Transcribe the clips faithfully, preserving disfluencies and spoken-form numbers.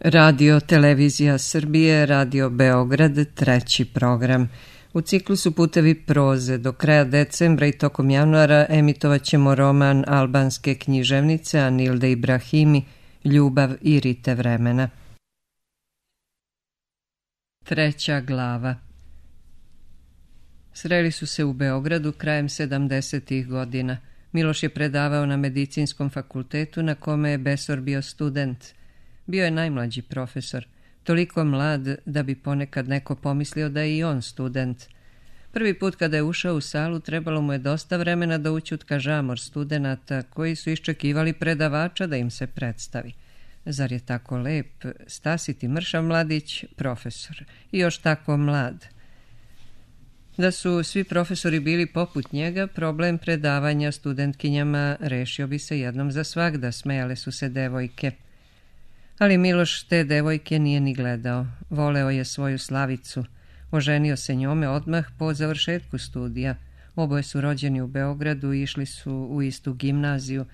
Radio Televizija Srbije, Radio Beograd, treći program. U ciklusu Putevi proze do kraja decembra i tokom januara emitovat ćemo roman albanske književnice Anilde Ibrahimi Ljubav i rite vremena. Treća glava. Sreli su se u Beogradu krajem sedamdesetih godina. Miloš je predavao na medicinskom fakultetu na kome je Besor bio student. Bio je najmlađi profesor, toliko mlad da bi ponekad neko pomislio da je i on student. Prvi put kada je ušao u salu trebalo mu je dosta vremena da ućutka žamor studenata koji su iščekivali predavača da im se predstavi. Zar je tako lep, stasiti mršav mladić, profesor, i još tako mlad? Da su svi profesori bili poput njega, problem predavanja studentkinjama rešio bi se jednom za svagda, smejale su se devojke. Ali Miloš te devojke nije ni gledao. Voleo je svoju Slavicu. Oženio se njome odmah po završetku studija. Oboje su rođeni u Beogradu i išli su u istu gimnaziju.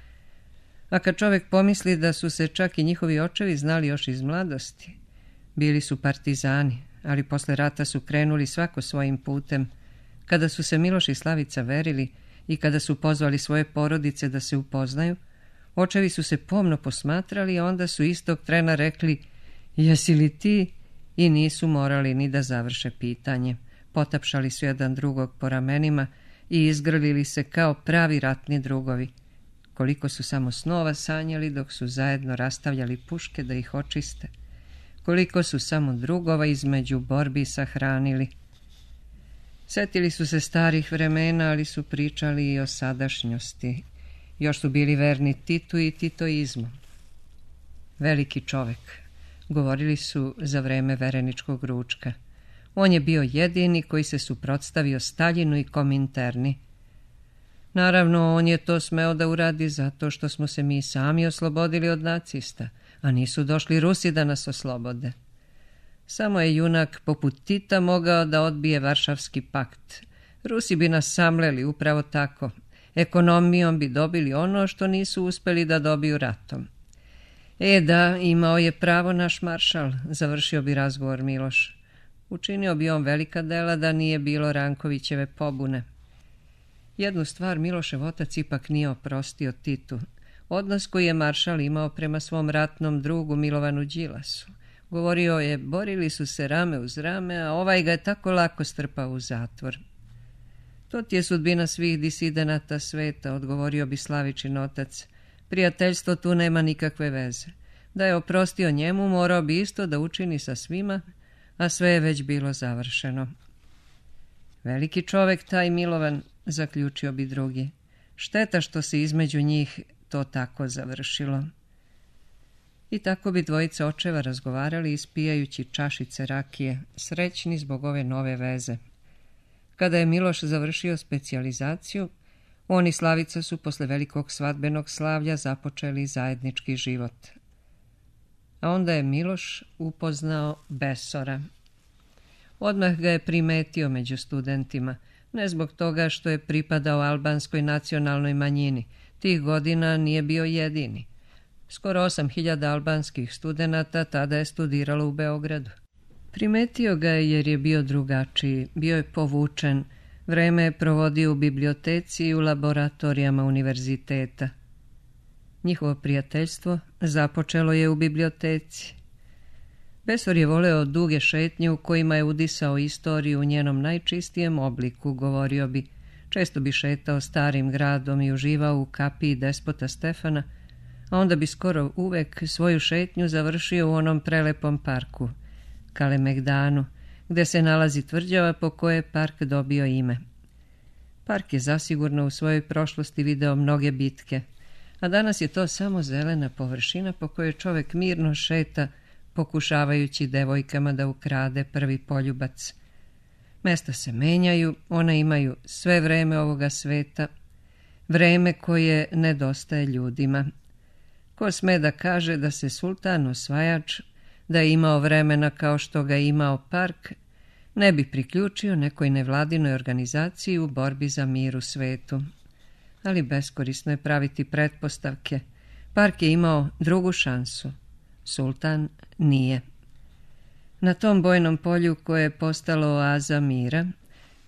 A kad čovjek pomisli da su se čak i njihovi očevi znali još iz mladosti. Bili su partizani, ali posle rata su krenuli svako svojim putem. Kada su se Miloš i Slavica verili i kada su pozvali svoje porodice da se upoznaju, očevi su se pomno posmatrali, a onda su istog trena rekli: "Jesi li ti?" i nisu morali ni da završe pitanje. Potapšali su jedan drugog po ramenima i izgrlili se kao pravi ratni drugovi. Koliko su samo snova sanjali dok su zajedno rastavljali puške da ih očiste. Koliko su samo drugova između borbi sahranili. Setili su se starih vremena, ali su pričali i o sadašnjosti. Još su bili verni Titu i titoizmu. Veliki čovek, govorili su za vreme vereničkog ručka. On je bio jedini koji se suprotstavio Staljinu i Kominterni. Naravno, on je to smeo da uradi zato što smo se mi sami oslobodili od nacista, a nisu došli Rusi da nas oslobode. Samo je junak poput Tita mogao da odbije Varšavski pakt. Rusi bi nas samleli upravo tako. Ekonomijom bi dobili ono što nisu uspeli da dobiju ratom. E da, imao je pravo naš maršal, završio bi razgovor Miloš. Učinio bi on velika dela da nije bilo Rankovićeve pobune. Jednu stvar Milošev otac ipak nije oprostio Titu. Odnos koji je maršal imao prema svom ratnom drugu Milovanu Đilasu. Govorio je, borili su se rame uz rame, a ovaj ga je tako lako strpao u zatvor. To ti je sudbina svih disidenata sveta, odgovorio bi Slavičin otac. Prijateljstvo tu nema nikakve veze. Da je oprostio njemu, morao bi isto da učini sa svima, a sve je već bilo završeno. Veliki čovek taj Milovan, zaključio bi drugi. Šteta što se između njih to tako završilo. I tako bi dvojica očeva razgovarali ispijajući čašice rakije, srećni zbog ove nove veze. Kada je Miloš završio specijalizaciju, on i Slavica su posle velikog svadbenog slavlja započeli zajednički život. A onda je Miloš upoznao Besora. Odmah ga je primetio među studentima, ne zbog toga što je pripadao albanskoj nacionalnoj manjini. Tih godina nije bio jedini. Skoro osam hiljada albanskih studenata tada je studiralo u Beogradu. Primetio ga je jer je bio drugačiji, bio je povučen, vreme je provodio u biblioteci i u laboratorijama univerziteta. Njihovo prijateljstvo započelo je u biblioteci. Besor je voleo duge šetnje u kojima je udisao istoriju u njenom najčistijem obliku, govorio bi. Često bi šetao starim gradom i uživao u kapiji despota Stefana, a onda bi skoro uvek svoju šetnju završio u onom prelepom parku, Kalemegdanu, gde se nalazi tvrđava po kojoj je park dobio ime. Park je zasigurno u svojoj prošlosti video mnoge bitke, a danas je to samo zelena površina po kojoj čovek mirno šeta, pokušavajući devojkama da ukrade prvi poljubac. Mesta se menjaju, ona imaju sve vreme ovoga sveta, vreme koje nedostaje ljudima. Ko sme da kaže da se sultan osvajač, da je imao vremena kao što ga je imao park, ne bi priključio nekoj nevladinoj organizaciji u borbi za mir u svetu. Ali beskorisno je praviti pretpostavke. Park je imao drugu šansu, sultan nije. Na tom bojnom polju koje je postalo oaza mira,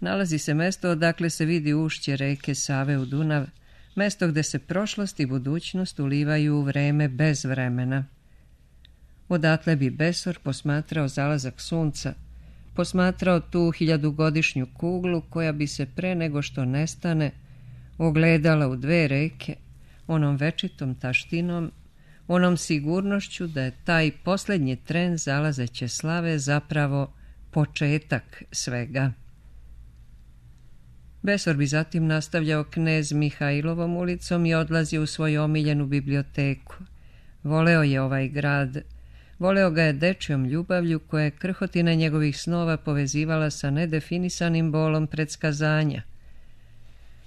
nalazi se mesto odakle se vidi ušće reke Save u Dunav, mesto gde se prošlost i budućnost ulivaju u vreme bez vremena. Odatle bi Besor posmatrao zalazak sunca, posmatrao tu hiljadugodišnju kuglu koja bi se pre nego što nestane ogledala u dve reke, onom večitom taštinom, onom sigurnošću da je taj posljednji tren zalazeće slave zapravo početak svega. Besor bi zatim nastavljao Knez Mihajlovom ulicom i odlazio u svoju omiljenu biblioteku. Voleo je ovaj grad, voleo ga je dečjom ljubavlju koja je krhotina njegovih snova povezivala sa nedefinisanim bolom predskazanja.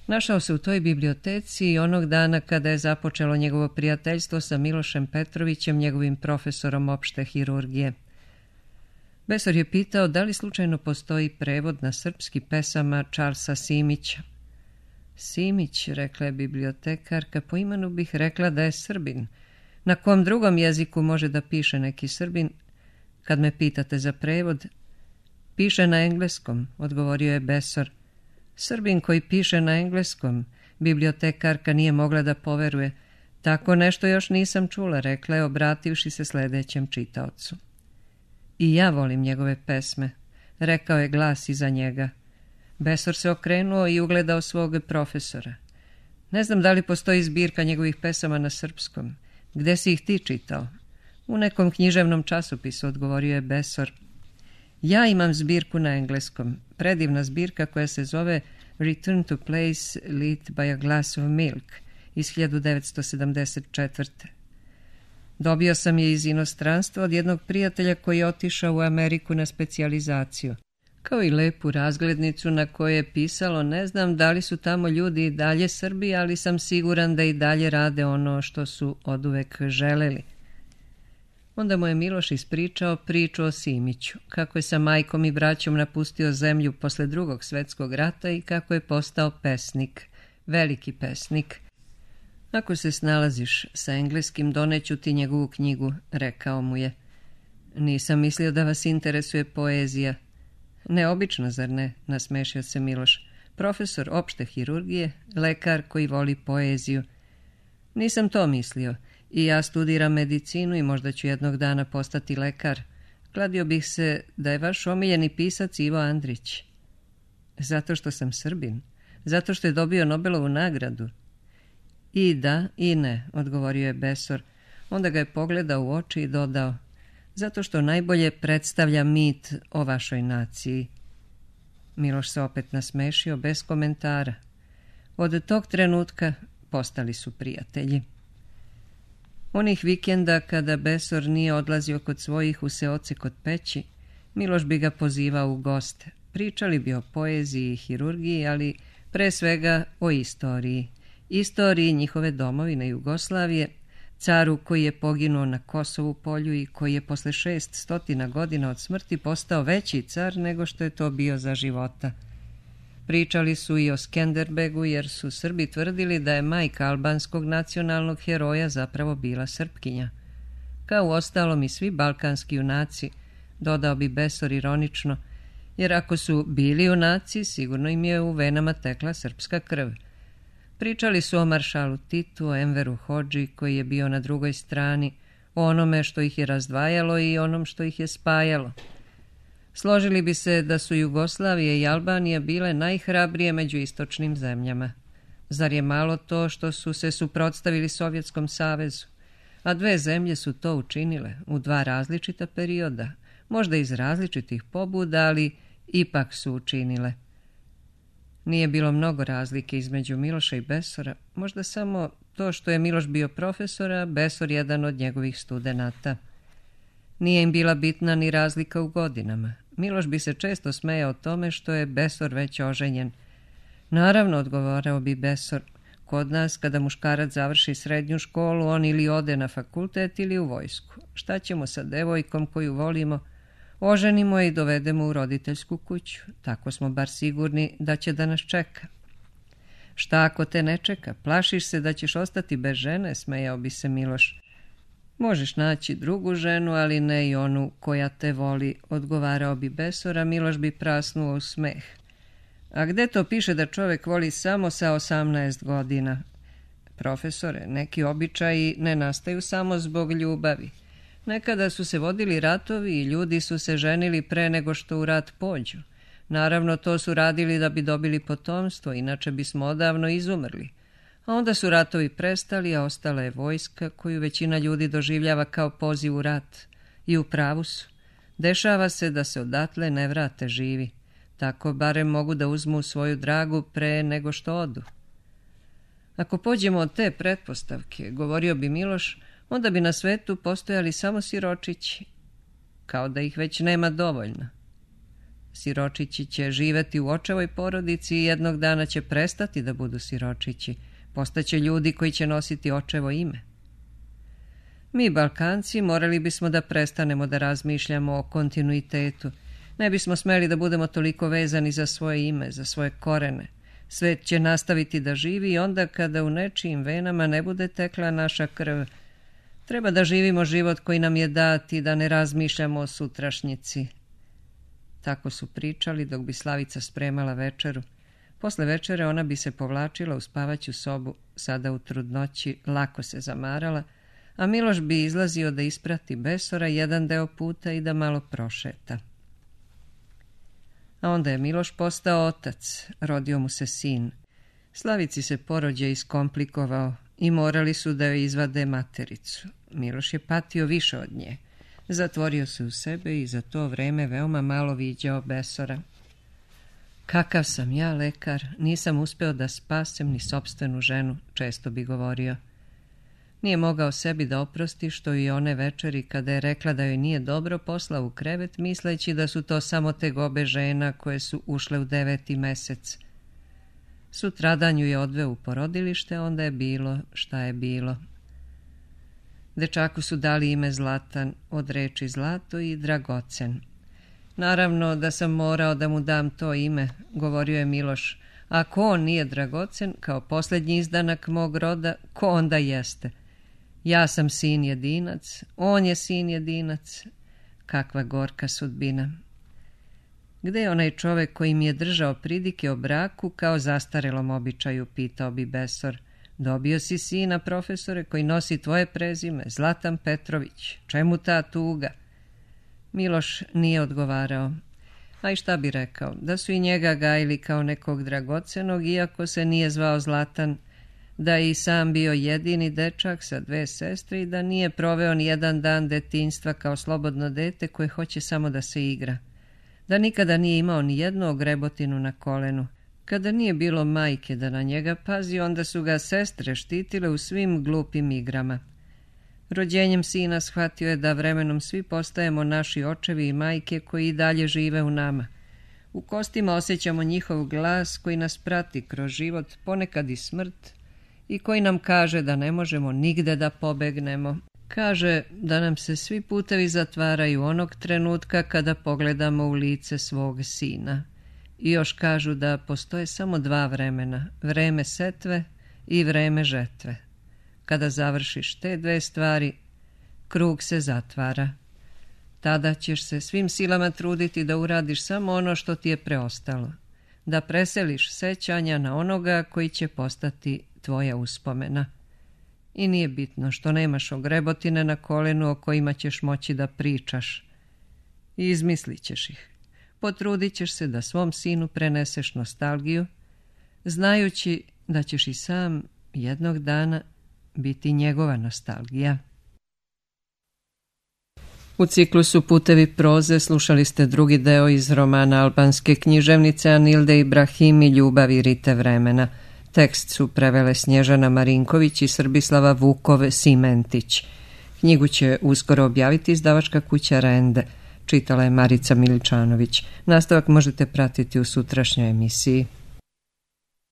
Našao se u toj biblioteci i onog dana kada je započelo njegovo prijateljstvo sa Milošem Petrovićem, njegovim profesorom opšte hirurgije. Besor je pitao da li slučajno postoji prevod na srpski pesama Charlesa Simića. Simić, rekla je bibliotekarka, po imenu bih rekla da je Srbin. Na kom drugom jeziku može da piše neki Srbin? Kad me pitate za prevod, piše na engleskom, odgovorio je Besor. Srbin koji piše na engleskom, bibliotekarka nije mogla da poveruje. Tako nešto još nisam čula, rekla je, obrativši se sledećem čitaocu. I ja volim njegove pesme, rekao je glas iza njega. Besor se okrenuo i ugledao svog profesora. Ne znam da li postoji zbirka njegovih pesama na srpskom. Gde si ih ti čitao? U nekom književnom časopisu, odgovorio je Besor. Ja imam zbirku na engleskom, predivna zbirka koja se zove Return to Place lit by a Glass of Milk iz hiljadu devetsto sedamdeset četvrte. Dobio sam je iz inostranstva od jednog prijatelja koji je otišao u Ameriku na specijalizaciju, kao i lepu razglednicu na kojoj je pisalo ne znam da li su tamo ljudi i dalje Srbi, ali sam siguran da i dalje rade ono što su oduvek želeli. Onda mu je Miloš ispričao priču o Simiću, kako je sa majkom i braćom napustio zemlju posle drugog svetskog rata i kako je postao pesnik, veliki pesnik. Ako se snalaziš sa engleskim, doneću ti njegovu knjigu, rekao mu je. Nisam mislio da vas interesuje poezija. Neobično, zar ne, nasmešio se Miloš. Profesor opšte hirurgije, lekar koji voli poeziju. Nisam to mislio. I ja studiram medicinu i možda ću jednog dana postati lekar. Kladio bih se da je vaš omiljeni pisac Ivo Andrić. Zato što sam Srbin? Zato što je dobio Nobelovu nagradu? I da, i ne, odgovorio je Besor. Onda ga je pogledao u oči i dodao. Zato što najbolje predstavlja mit o vašoj naciji. Miloš se opet nasmešio bez komentara. Od tog trenutka postali su prijatelji. Onih vikenda kada Besor nije odlazio kod svojih u seoce kod Peći, Miloš bi ga pozivao u goste. Pričali bi o poeziji i hirurgiji, ali pre svega o istoriji. Istoriji njihove domovine Jugoslavije, caru koji je poginuo na Kosovu polju i koji je posle šest stotina godina od smrti postao veći car nego što je to bio za života. Pričali su i o Skenderbegu jer su Srbi tvrdili da je majka albanskog nacionalnog heroja zapravo bila Srpkinja. Kao u ostalom i svi balkanski junaci, dodao bi Besor ironično, jer ako su bili junaci, sigurno im je u venama tekla srpska krv. Pričali su o maršalu Titu, o Enveru Hodži koji je bio na drugoj strani, o onome što ih je razdvajalo i onom što ih je spajalo. Složili bi se da su Jugoslavija i Albanija bile najhrabrije među istočnim zemljama. Zar je malo to što su se suprotstavili Sovjetskom savezu? A dve zemlje su to učinile u dva različita perioda, možda iz različitih pobuda, ali ipak su učinile. Nije bilo mnogo razlike između Miloša i Besora, možda samo to što je Miloš bio profesor, a Besor jedan od njegovih studenata. Nije im bila bitna ni razlika u godinama. Miloš bi se često smejao tome što je Besor već oženjen. Naravno, odgovarao bi Besor, kod nas kada muškarac završi srednju školu, on ili ode na fakultet ili u vojsku. Šta ćemo sa devojkom koju volimo? Oženimo je i dovedemo u roditeljsku kuću. Tako smo bar sigurni da će da nas čeka. Šta ako te ne čeka? Plašiš se da ćeš ostati bez žene, smejao bi se Miloš. Možeš naći drugu ženu, ali ne i onu koja te voli, odgovarao bi Besor, a Miloš bi prasnuo u smeh. A gde to piše da čovjek voli samo sa osamnaest godina? Profesore, neki običaji ne nastaju samo zbog ljubavi. Nekada su se vodili ratovi i ljudi su se ženili pre nego što u rat pođu. Naravno, to su radili da bi dobili potomstvo, inače bismo odavno izumrli. A onda su ratovi prestali, a ostala je vojska koju većina ljudi doživljava kao poziv u rat. I u pravu su. Dešava se da se odatle ne vrate živi. Tako barem mogu da uzmu svoju dragu pre nego što odu. Ako pođemo od te pretpostavke, govorio bi Miloš, onda bi na svetu postojali samo siročići, kao da ih već nema dovoljno. Siročići će živeti u očevoj porodici i jednog dana će prestati da budu siročići. Postaće ljudi koji će nositi očevo ime. Mi, Balkanci, morali bismo da prestanemo da razmišljamo o kontinuitetu. Ne bismo smeli da budemo toliko vezani za svoje ime, za svoje korene. Svet će nastaviti da živi i onda kada u nečijim venama ne bude tekla naša krv. Treba da živimo život koji nam je dat i da ne razmišljamo o sutrašnjici. Tako su pričali dok bi Slavica spremala večeru. Posle večere ona bi se povlačila u spavaću sobu, sada u trudnoći, lako se zamarala, a Miloš bi izlazio da isprati Besora jedan deo puta i da malo prošeta. A onda je Miloš postao otac, rodio mu se sin. Slavici se porođaj iskomplikovao i morali su da joj izvade matericu. Miloš je patio više od nje. Zatvorio se u sebe i za to vreme veoma malo viđao Besora. Kakav sam ja, lekar, nisam uspeo da spasem ni sopstvenu ženu, često bi govorio. Nije mogao sebi da oprosti što i one večeri kada je rekla da joj nije dobro poslao u krevet, misleći da su to samo tegobe žena koje su ušle u deveti mesec. Sutradan ju je odveo u porodilište, onda je bilo šta je bilo. Dečaku su dali ime Zlatan, od reči zlato i dragocen. Naravno da sam morao da mu dam to ime, govorio je Miloš. Ako on nije dragocen, kao posljednji izdanak mog roda, ko onda jeste? Ja sam sin jedinac, on je sin jedinac. Kakva gorka sudbina. Gde je onaj čovek koji mi je držao pridike o braku kao zastarelom običaju, pitao bi Besor. Dobio si sina, profesore, koji nosi tvoje prezime, Zlatan Petrović. Čemu ta tuga? Miloš nije odgovarao. A i šta bi rekao? Da su i njega gajili kao nekog dragocenog, iako se nije zvao Zlatan, da je i sam bio jedini dečak sa dve sestre i da nije proveo ni jedan dan detinjstva kao slobodno dete koje hoće samo da se igra. Da nikada nije imao ni jednu ogrebotinu na kolenu. Kada nije bilo majke da na njega pazi, onda su ga sestre štitile u svim glupim igrama. Rođenjem sina shvatio je da vremenom svi postajemo naši očevi i majke koji i dalje žive u nama. U kostima osjećamo njihov glas koji nas prati kroz život, ponekad i smrt, i koji nam kaže da ne možemo nigde da pobegnemo. Kaže da nam se svi putevi zatvaraju onog trenutka kada pogledamo u lice svog sina. I još kažu da postoje samo dva vremena, vreme setve i vreme žetve. Kada završiš te dve stvari, krug se zatvara. Tada ćeš se svim silama truditi da uradiš samo ono što ti je preostalo, da preseliš sećanja na onoga koji će postati tvoja uspomena. I nije bitno što nemaš ogrebotine na kolenu o kojima ćeš moći da pričaš. Izmislit ćeš ih. Potrudit ćeš se da svom sinu preneseš nostalgiju, znajući da ćeš i sam jednog dana biti njegova nostalgija. U ciklusu Putevi proze slušali ste drugi deo iz romana albanske književnice Anilde Ibrahimi Ljubav i rite vremena. Tekst su prevele Snježana Marinković i Srbislava Vukov-Simentić. Knjigu će uskoro objaviti izdavačka kuća Rende. Čitala je Marica Miličanović. Nastavak možete pratiti u sutrašnjoj emisiji.